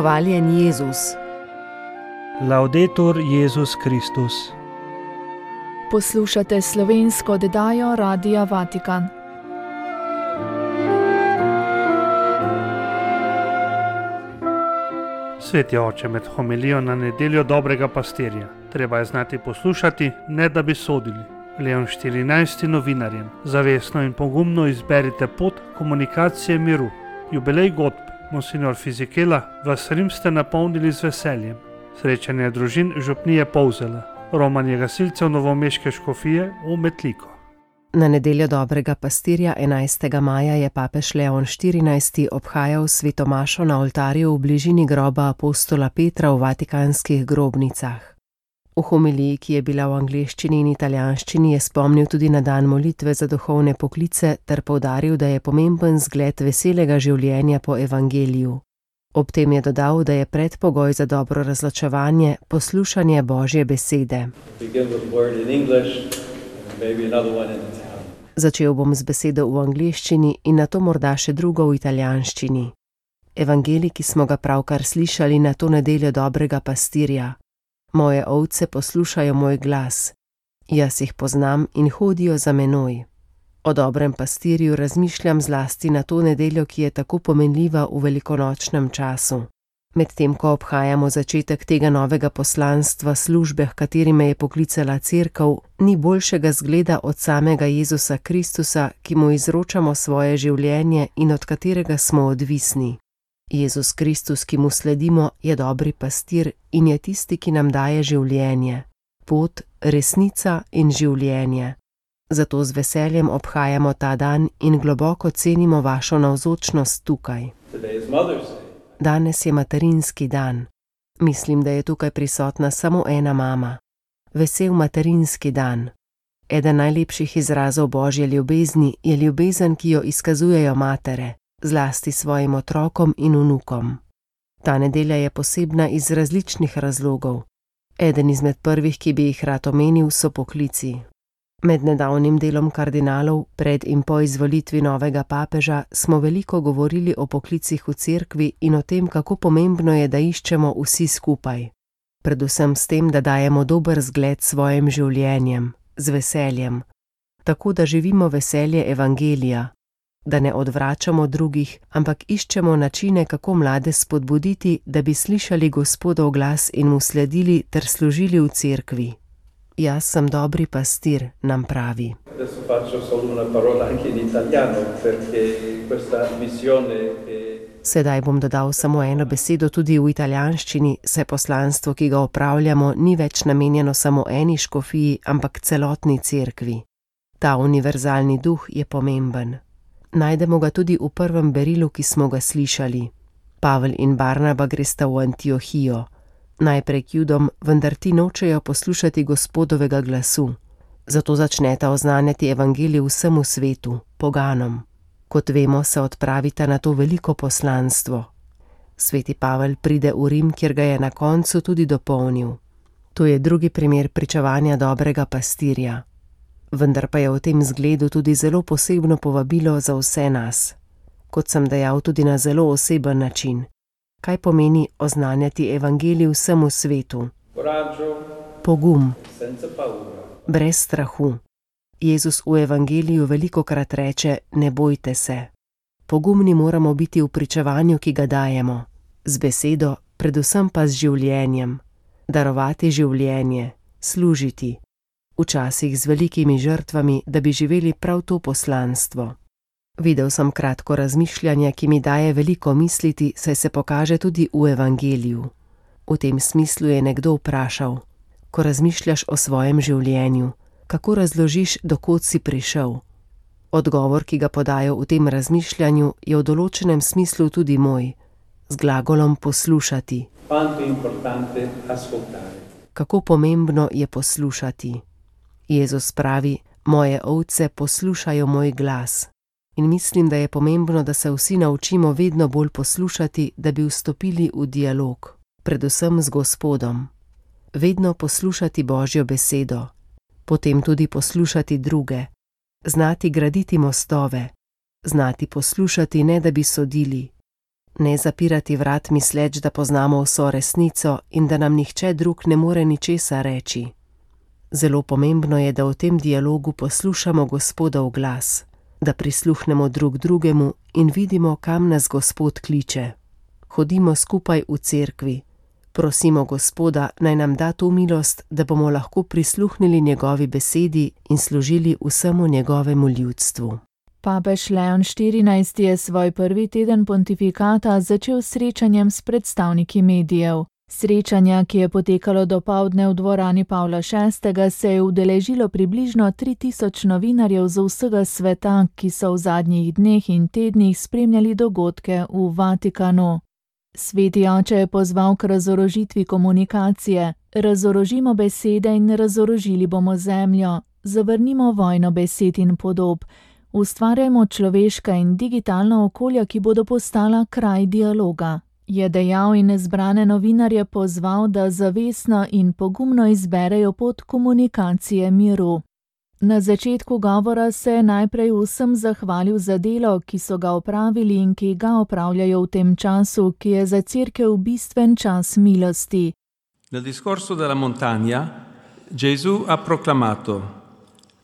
Hvaljen Jezus. Laudetur Jezus Kristus. Poslušate slovensko oddajo Radia Vatikan. Sveti oče, med homilijo na nedeljo dobrega pastirja treba je znati poslušati, ne da bi sodili. Leon 14. novinarjem: zavestno in pogumno izberite pot komunikacije miru. Jubilej godb Monsignor Fizikela, vas Rim ste napolnili z veseljem. Srečanje družin župnije Polzela, romanje gasilcev novomeške škofije v Metliko. Na nedeljo dobrega pastirja 11. maja je papež Leon 14. obhajal sveto mašo na oltarju v bližini groba apostola Petra v vatikanskih grobnicah. V homiliji, ki je bila v angleščini in italijanščini, je spomnil tudi na dan molitve za duhovne poklice ter poudaril, da je pomemben zgled veselega življenja po evangeliju. Ob tem je dodal, da je predpogoj za dobro razločevanje poslušanje Božje besede. Začel bom z besedo v angleščini in nato morda še drugo v italijanščini. Evangelij, ki smo ga pravkar slišali na to nedeljo dobrega pastirja. Moje ovce poslušajo moj glas. Jaz jih poznam in hodijo za menoj. O dobrem pastirju razmišljam zlasti na to nedeljo, ki je tako pomenljiva v velikonočnem času. Medtem ko obhajamo začetek tega novega poslanstva službe, h kateri me je poklicala cerkev, ni boljšega zgleda od samega Jezusa Kristusa, ki mu izročamo svoje življenje in od katerega smo odvisni. Jezus Kristus, ki mu sledimo, je dobri pastir in je tisti, ki nam daje življenje. Pot, resnica in življenje. Zato z veseljem obhajamo ta dan in globoko cenimo vašo navzočnost tukaj. Danes je materinski dan. Mislim, da je tukaj prisotna samo ena mama. Vesel materinski dan. Eden najlepših izrazov Božje ljubezni je ljubezen, ki jo izkazujejo matere, zlasti svojim otrokom in vnukom. Ta nedelja je posebna iz različnih razlogov. Eden izmed prvih, ki bi jih rad omenil, so poklici. Med nedavnim delom kardinalov, pred in po izvolitvi novega papeža, smo veliko govorili o poklicih v cerkvi in o tem, kako pomembno je, da iščemo vsi skupaj. Predvsem s tem, da dajemo dober zgled svojim življenjem, z veseljem. Tako da živimo veselje evangelija. Da ne odvračamo drugih, ampak iščemo načine, kako mlade spodbuditi, da bi slišali Gospodov glas in mu sledili ter služili v cerkvi. Jaz sem dobri pastir, nam pravi. Sedaj bom dodal samo eno besedo tudi v italijanščini, saj poslanstvo, ki ga opravljamo, ni več namenjeno samo eni škofiji, ampak celotni cerkvi. Ta univerzalni duh je pomemben. Najdemo ga tudi v prvem berilu, ki smo ga slišali. Pavel in Barnaba gresta v Antiohijo. Najprej k Judom, vendar ti nočejo poslušati Gospodovega glasu. Zato začneta oznanjati evangelij vsemu svetu, poganom. Kot vemo, se odpravita na to veliko poslanstvo. Sveti Pavel pride v Rim, kjer ga je na koncu tudi dopolnil. To je drugi primer pričevanja dobrega pastirja. Vendar pa je v tem zgledu tudi zelo posebno povabilo za vse nas. Kot sem dejal, tudi na zelo oseben način. Kaj pomeni oznanjati evangelij vsemu svetu? Pogum. Brez strahu. Jezus v evangeliju velikokrat reče: ne bojte se. Pogumni moramo biti v pričevanju, ki ga dajemo. Z besedo, predvsem pa z življenjem. Darovati življenje, služiti. Včasih z velikimi žrtvami, da bi živeli prav to poslanstvo. Videl sem kratko razmišljanje, ki mi daje veliko misliti, saj se pokaže tudi v evangeliju. V tem smislu je nekdo vprašal: ko razmišljaš o svojem življenju, kako razložiš, do kod si prišel? Odgovor, ki ga podajo v tem razmišljanju, je v določenem smislu tudi moj, z glagolom poslušati. Kako pomembno je poslušati. Jezus pravi: moje ovce poslušajo moj glas. In mislim, da je pomembno, da se vsi naučimo vedno bolj poslušati, da bi vstopili v dialog, predvsem z Gospodom. Vedno poslušati Božjo besedo, potem tudi poslušati druge, znati graditi mostove, znati poslušati, ne da bi sodili, Ne zapirati vrat misleč, da poznamo vso resnico in da nam nihče drug ne more ničesar reči. Zelo pomembno je, da v tem dialogu poslušamo Gospodov glas, da prisluhnemo drug drugemu in vidimo, kam nas Gospod kliče. Hodimo skupaj v cerkvi. Prosimo Gospoda, naj nam da to milost, da bomo lahko prisluhnili njegovi besedi in služili vsemu njegovemu ljudstvu. Papež Leon XIV je svoj prvi teden pontifikata začel s srečanjem s predstavniki medijev. Srečanja, ki je potekalo dopoldne v dvorani Pavla VI., se je udeležilo približno 3000 novinarjev z vsega sveta, ki so v zadnjih dneh in tednih spremljali dogodke v Vatikanu. Sveti oče je pozval k razorožitvi komunikacije. Razorožimo besede in razorožili bomo zemljo. Zavrnimo vojno besed in podob. Ustvarjajmo človeška in digitalna okolja, ki bodo postala kraj dialoga. Je dejal in zbrane novinarje pozval, da zavestno in pogumno izberejo pot komunikacije miru. Na začetku govora se je najprej vsem zahvalil za delo, ki so ga opravili in ki ga opravljajo v tem času, ki je za cerkev bistven čas milosti. Nel discorso della montagna, Gesù ha proclamato: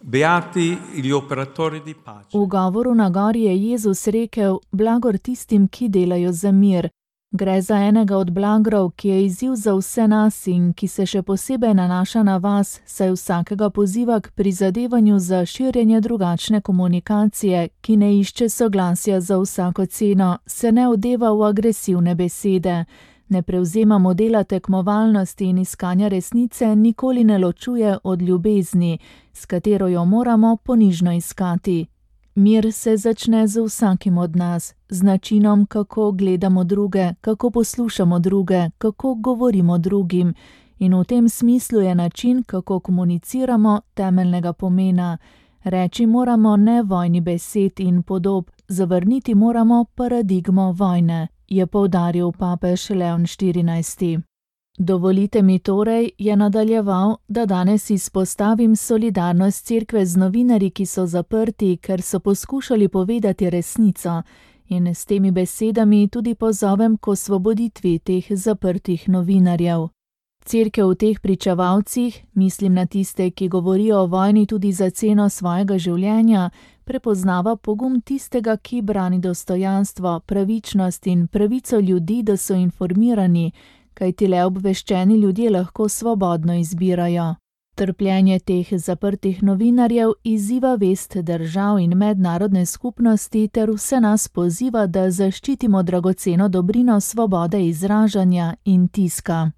Beati gli operatori di pace. V govoru na gori je Jezus rekel: blagor tistim, ki delajo za mir. Gre za enega od blagrov, ki je izziv za vse nas in ki se še posebej nanaša na vas, saj vsakega poziva k prizadevanju za širjenje drugačne komunikacije, ki ne išče soglasja za vsako ceno, se ne odeva v agresivne besede. Ne prevzema modela tekmovalnosti in iskanja resnice, nikoli ne ločuje od ljubezni, s katero jo moramo ponižno iskati. Mir se začne z vsakim od nas, z načinom, kako gledamo druge, kako poslušamo druge, kako govorimo drugim. In v tem smislu je način, kako komuniciramo, temeljnega pomena. Reči moramo ne vojni besed in podob, zavrniti moramo paradigmo vojne, je poudaril papež Leon XIV. Dovolite mi torej, je nadaljeval, da danes izpostavim solidarnost cerkve z novinarji, ki so zaprti, ker so poskušali povedati resnico, in s temi besedami tudi pozovem k osvoboditvi teh zaprtih novinarjev. Cerkev v teh pričevalcih, mislim na tiste, ki govorijo o vojni tudi za ceno svojega življenja, prepoznava pogum tistega, ki brani dostojanstvo, pravičnost in pravico ljudi, da so informirani, kajti le obveščeni ljudje lahko svobodno izbirajo. Trpljenje teh zaprtih novinarjev izziva vest držav in mednarodne skupnosti ter vse nas poziva, da zaščitimo dragoceno dobrino svobode izražanja in tiska.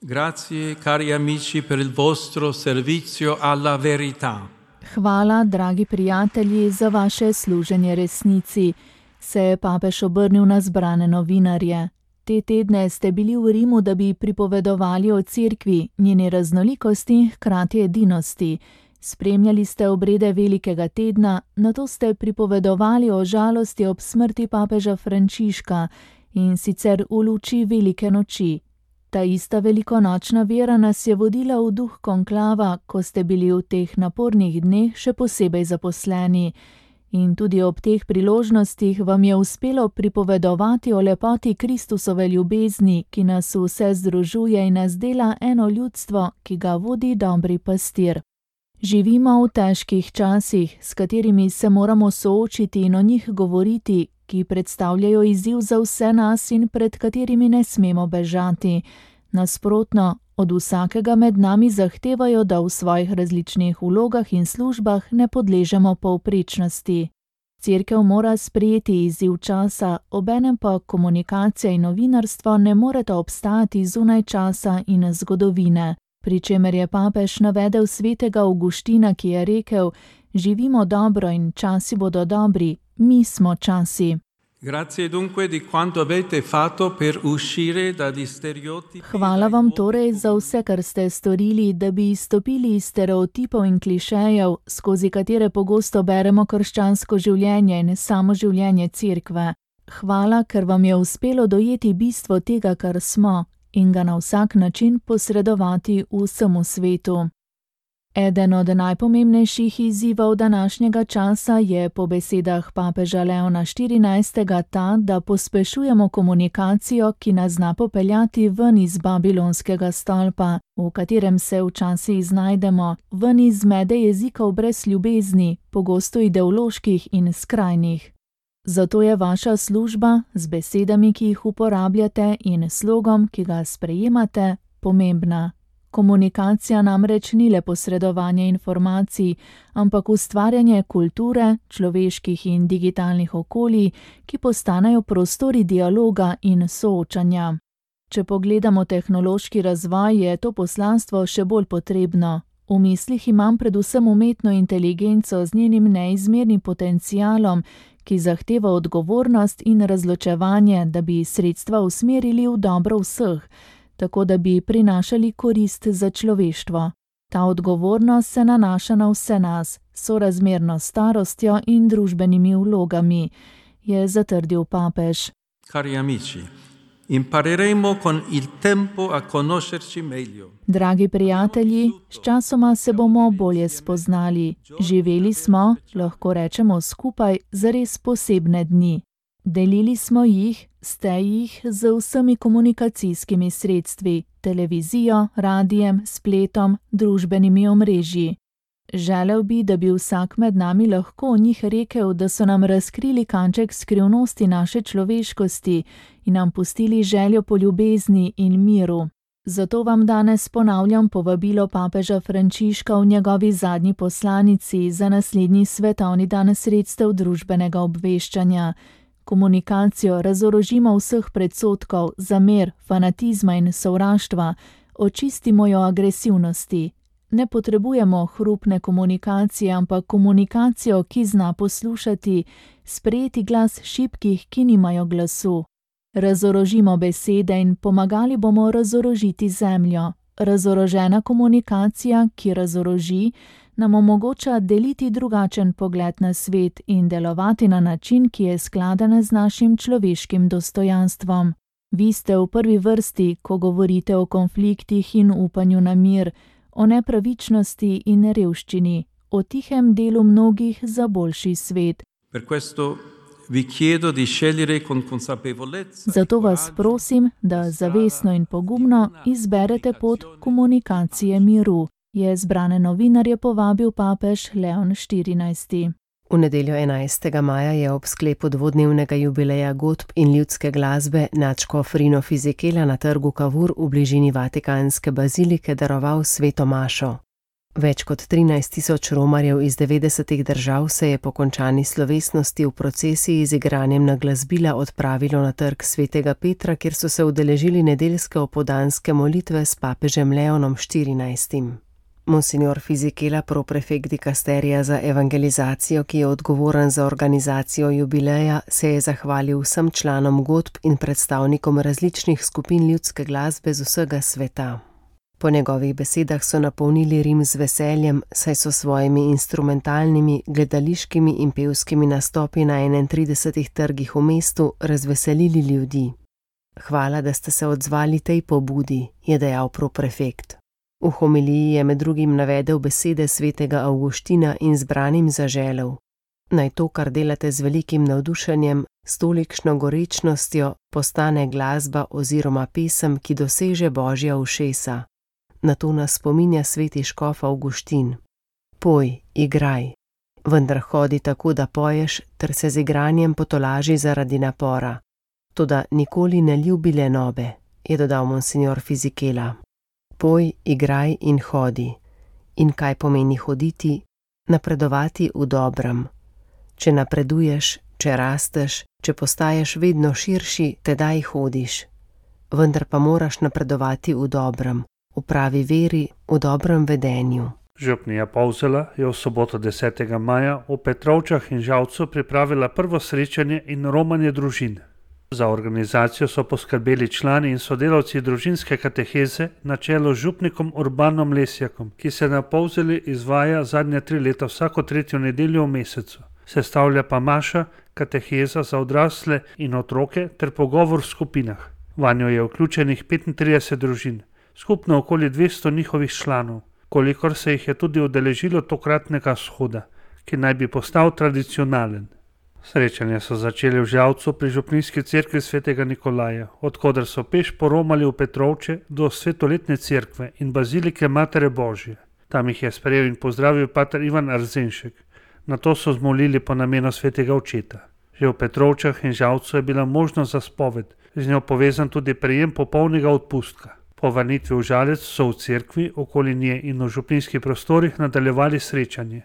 Grazie, cari amici, per il vostro servizio alla verità. Hvala, dragi prijatelji, za vaše služenje resnici, se je papež obrnil na zbrane novinarje. Te tedne ste bili v Rimu, da bi pripovedovali o cerkvi, njeni raznolikosti in hkrati edinosti. Spremljali ste obrede velikega tedna, nato ste pripovedovali o žalosti ob smrti papeža Frančiška, in sicer v luči velike noči. Ta ista velikonočna vera nas je vodila v duh konklava, ko ste bili v teh napornih dneh še posebej zaposleni. In tudi ob teh priložnostih vam je uspelo pripovedovati o lepoti Kristusove ljubezni, ki nas vse združuje in nas dela eno ljudstvo, ki ga vodi dobri pastir. Živimo v težkih časih, s katerimi se moramo soočiti in o njih govoriti, ki predstavljajo izziv za vse nas in pred katerimi ne smemo bežati. Nasprotno, od vsakega med nami zahtevajo, da v svojih različnih vlogah in službah ne podležemo povprečnosti. Cerkev mora sprejeti izziv časa, obenem pa komunikacija in novinarstvo ne moreta obstajati zunaj časa in zgodovine. Pri čemer je papež navedel svetega Avguština, ki je rekel: živimo dobro in časi bodo dobri, mi smo časi. Grazie dunque di quanto avete fatto per uscire dagli stereotipi. Hvala vam torej za vse, kar ste storili, da bi izstopili iz stereotipov in klišejev, skozi katere pogosto beremo krščansko življenje in samo življenje cerkve. Hvala, ker vam je uspelo dojeti bistvo tega, kar smo, in ga na vsak način posredovati vsemu svetu. Eden od najpomembnejših izzivov današnjega časa je po besedah papeža Leona XIV. Ta, da pospešujemo komunikacijo, ki nas zna popeljati ven iz babilonskega stolpa, v katerem se včasih znajdemo, ven iz zmede jezikov brez ljubezni, pogosto ideoloških in skrajnih. Zato je vaša služba z besedami, ki jih uporabljate, in slogom, ki ga sprejemate, pomembna. Komunikacija namreč ni le posredovanje informacij, ampak ustvarjanje kulture, človeških in digitalnih okolij, ki postanejo prostori dialoga in soočanja. Če pogledamo tehnološki razvoj, je to poslanstvo še bolj potrebno. V mislih imam predvsem umetno inteligenco z njenim neizmernim potencialom, ki zahteva odgovornost in razločevanje, da bi sredstva usmerili v dobro vseh, tako da bi prinašali korist za človeštvo. Ta odgovornost se nanaša na vse nas, sorazmerno s starostjo in družbenimi vlogami, je zatrdil papež. Cari amici, impareremo con il tempo a conoscerci meglio. Dragi prijatelji, sčasoma se bomo bolje spoznali. Živeli smo, lahko rečemo skupaj, zares posebne dni. Delili smo jih, ste jih z vsemi komunikacijskimi sredstvi, televizijo, radijem, spletom, družbenimi omrežji. Želel bi, da bi vsak med nami lahko o njih rekel, da so nam razkrili kanček skrivnosti naše človeškosti in nam pustili željo po ljubezni in miru. Zato vam danes ponavljam povabilo papeža Frančiška v njegovi zadnji poslanici za naslednji svetovni dan sredstev družbenega obveščanja. Komunikacijo razorožimo vseh predsodkov, zamer, fanatizma in sovraštva, očistimo jo agresivnosti. Ne potrebujemo hrupne komunikacije, ampak komunikacijo, ki zna poslušati, sprejeti glas šibkih, ki nimajo glasu. Razorožimo besede in pomagali bomo razorožiti zemljo. Razorožena komunikacija, ki razoroži, nam omogoča deliti drugačen pogled na svet in delovati na način, ki je skladen z našim človeškim dostojanstvom. Vi ste v prvi vrsti, ko govorite o konfliktih in upanju na mir, o nepravičnosti in revščini, o tihem delu mnogih za boljši svet. Zato vas prosim, da zavestno in pogumno izberete pot komunikacije miru, je zbrane novinarje povabil papež Leon XIV. V nedeljo 11. maja je ob sklepu dvodnevnega jubileja godb in ljudske glasbe nadškof Rino Fisichella na trgu Cavour v bližini Vatikanske bazilike daroval sveto mašo. Več kot 13.000 romarjev iz 90 držav se je po končani slovesnosti v procesiji z igranjem na glasbila odpravilo na trg svetega Petra, kjer so se udeležili nedeljske opoldanske molitve s papežem Leonom XIV. Monsignor Fisichella, proprefekt dikasterija za evangelizacijo, ki je odgovoren za organizacijo jubileja, se je zahvalil vsem članom godb in predstavnikom različnih skupin ljudske glasbe z vsega sveta. Po njegovih besedah so napolnili Rim z veseljem, saj so svojimi instrumentalnimi, gledališkimi in pevskimi nastopi na 31 trgih v mestu razveselili ljudi. Hvala, da ste se odzvali tej pobudi, je dejal proprefekt. V homiliji je med drugim navedel besede svetega Avguština in zbranim zaželel: naj to, kar delate z velikim navdušenjem, s tolikšno gorečnostjo, postane glasba oziroma pesem, ki doseže Božja ušesa. Na to nas spominja sveti škof Avguštin. Poj, igraj, vendar hodi tako, da poješ, ter se z igranjem potolaži zaradi napora. Toda nikoli ne ljubi lenobe, je dodal monsignor Fisichella. Poj, igraj in hodi. In kaj pomeni hoditi? Napredovati v dobrem. Če napreduješ, če rasteš, če postaješ vedno širši, tedaj hodiš. Vendar pa moraš napredovati v dobrem, v pravi veri, v dobrem vedenju. Župnija Polzela je v soboto 10. maja v Petrovčah in Žalcu pripravila prvo srečanje in romanje družin. Za organizacijo so poskrbeli člani in sodelavci družinske kateheze na čelu z župnikom Urbanom Lesjakom, ki se na Polzeli izvaja zadnja 3 leta vsako 3. nedeljo v mesecu. Sestavlja pa maša, kateheza za odrasle in otroke ter pogovor v skupinah. Vanjo je vključenih 35 družin, skupno okoli 200 njihovih članov. kolikor se jih je tudi udeležilo tokratnega shoda, ki naj bi postal tradicionalen. Srečanje so začeli v Žalcu pri župnijski cerkvi svetega Nikolaja, odkoder so peš poromali v Petrovče do svetoletne cerkve in bazilike Matere Božje. Tam jih je sprejel in pozdravil pater Ivan Arzenšek. Nato so zmolili po namenu svetega očeta. Že v Petrovčah in Žalcu je bila možnost za spoved, z njo povezan tudi prejem popolnega odpustka. Po vrnitvi v Žalec so v cerkvi, okoli nje in v župnijskih prostorih nadaljevali srečanje.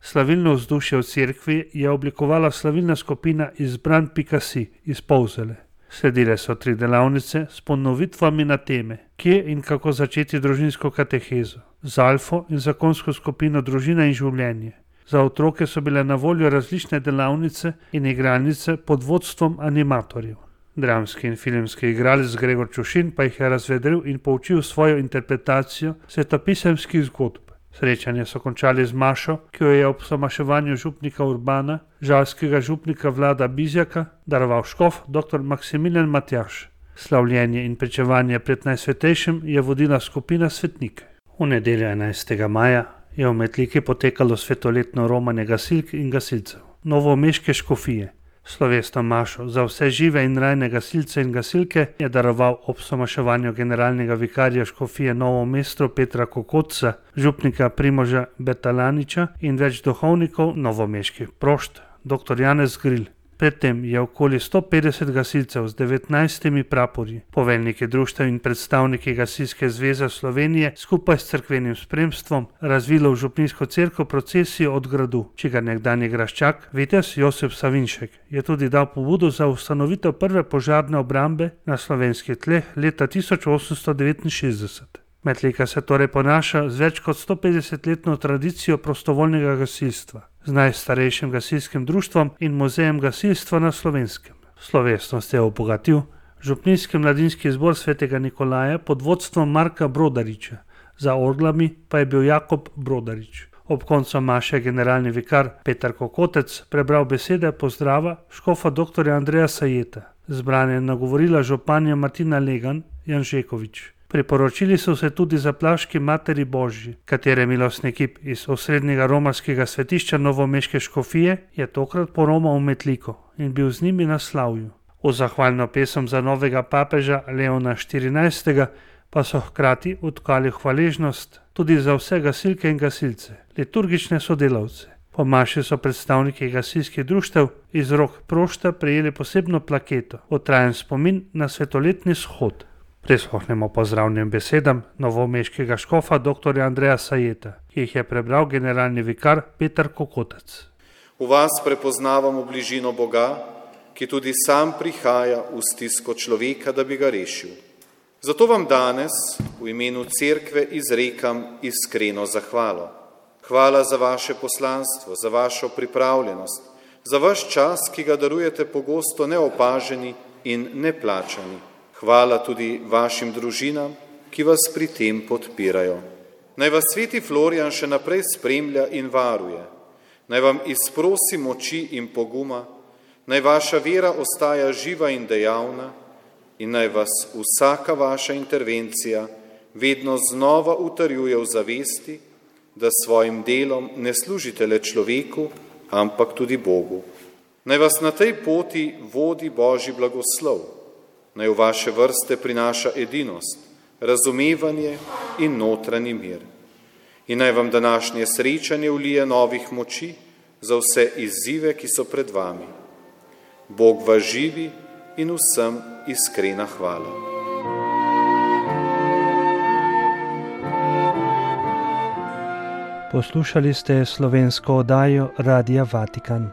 Slavilno vzdušje v cerkvi je oblikovala slavilna skupina Izbran.si iz Polzele. Sledile so 3 delavnice s ponovitvami na teme, kje in kako začeti družinsko katehezo, z alfo in zakonsko skupino Družina in življenje. Za otroke so bile na voljo različne delavnice in igralnice pod vodstvom animatorjev. Dramski in filmski igralec Gregor Čušin pa jih je razvedril in poučil svojo interpretacijo svetopisemskih zgodb. Srečanje so končali z mašo, ki jo je ob somaševanju župnika Urbana, žalskega župnika Vlada Bizjaka, daroval škof dr. Maksimilijan Matjaž. Slavljenje in pričevanje pred Najsvetejšim je vodila skupina svetnike. V nedeljo 11. maja je v Metliki potekalo svetoletno romanje gasilk in gasilcev novomeške škofije. Slovesno mašo za vse žive in rajne gasilce in gasilke je daroval ob somaševanju generalnega vikarja škofije Novo mesto Petra Kokotca, župnika Primoža Betalaniča in več duhovnikov novomeških prošt, dr. Janez Gril. Predtem je okoli 150 gasilcev z 19 praporji, poveljniki društev in predstavniki Gasilske zveze Slovenije skupaj s cerkvenim spremstvom razvilo v župnijsko cerkev procesijo od gradu, čigar nekdanji graščak, vitez Josip Savinšek, je tudi dal pobudo za ustanovitev prve požarne obrambe na slovenskih tleh leta 1869. Metlika se torej ponaša z več kot 150-letno tradicijo prostovoljnega gasilstva, z najstarejšim gasilskim društvom in muzejem gasilstva na Slovenskem. Slovesnost je obogatil župnijski mladinski zbor svetega Nikolaja pod vodstvom Marka Brodariča, za orglami pa je bil Jakob Brodarič. Ob koncu maše generalni vikar Petar Kokotec prebral besede pozdrava škofa dr. Andreja Sajeta. Zbrane je nagovorila županja Martina Legan Janžekovič. Priporočili so se tudi zaplaški Materi Božji, katere milostni kip iz osrednjega romarskega svetišča novomeške škofije je tokrat poromal v Metliko in bil z njimi na slavju. V zahvalno pesem za novega papeža Leona XIV. Pa so hkrati odkali hvaležnost tudi za vse gasilke in gasilce, liturgične sodelavce. Po maši so predstavniki gasilskih društev iz rok prošta prejeli posebno plaketo, otrajen spomin na svetoletni shod. Prisluhnemo pozdravnim besedam novomeškega škofa dr. Andreja Sajeta, ki jih je prebral generalni vikar Petar Kokotec. V vas prepoznavamo bližino Boga, ki tudi sam prihaja v stisko človeka, da bi ga rešil. Zato vam danes v imenu cerkve izrekam iskreno zahvalo. Hvala za vaše poslanstvo, za vašo pripravljenost, za vaš čas, ki ga darujete pogosto neopaženi in neplačani. Hvala tudi vašim družinam, ki vas pri tem podpirajo. Naj vas sveti Florijan še naprej spremlja in varuje. Naj vam izprosi moči in poguma, naj vaša vera ostaja živa in dejavna in naj vas vsaka vaša intervencija vedno znova utrjuje v zavesti, da svojim delom ne služite le človeku, ampak tudi Bogu. Naj vas na tej poti vodi Božji blagoslov. Naj v vaše vrste prinaša edinost, razumevanje in notranji mir. In naj vam današnje srečanje vlije novih moči za vse izzive, ki so pred vami. Bog vas živi in vsem iskrena hvala. Poslušali ste slovensko oddajo Radia Vatikan.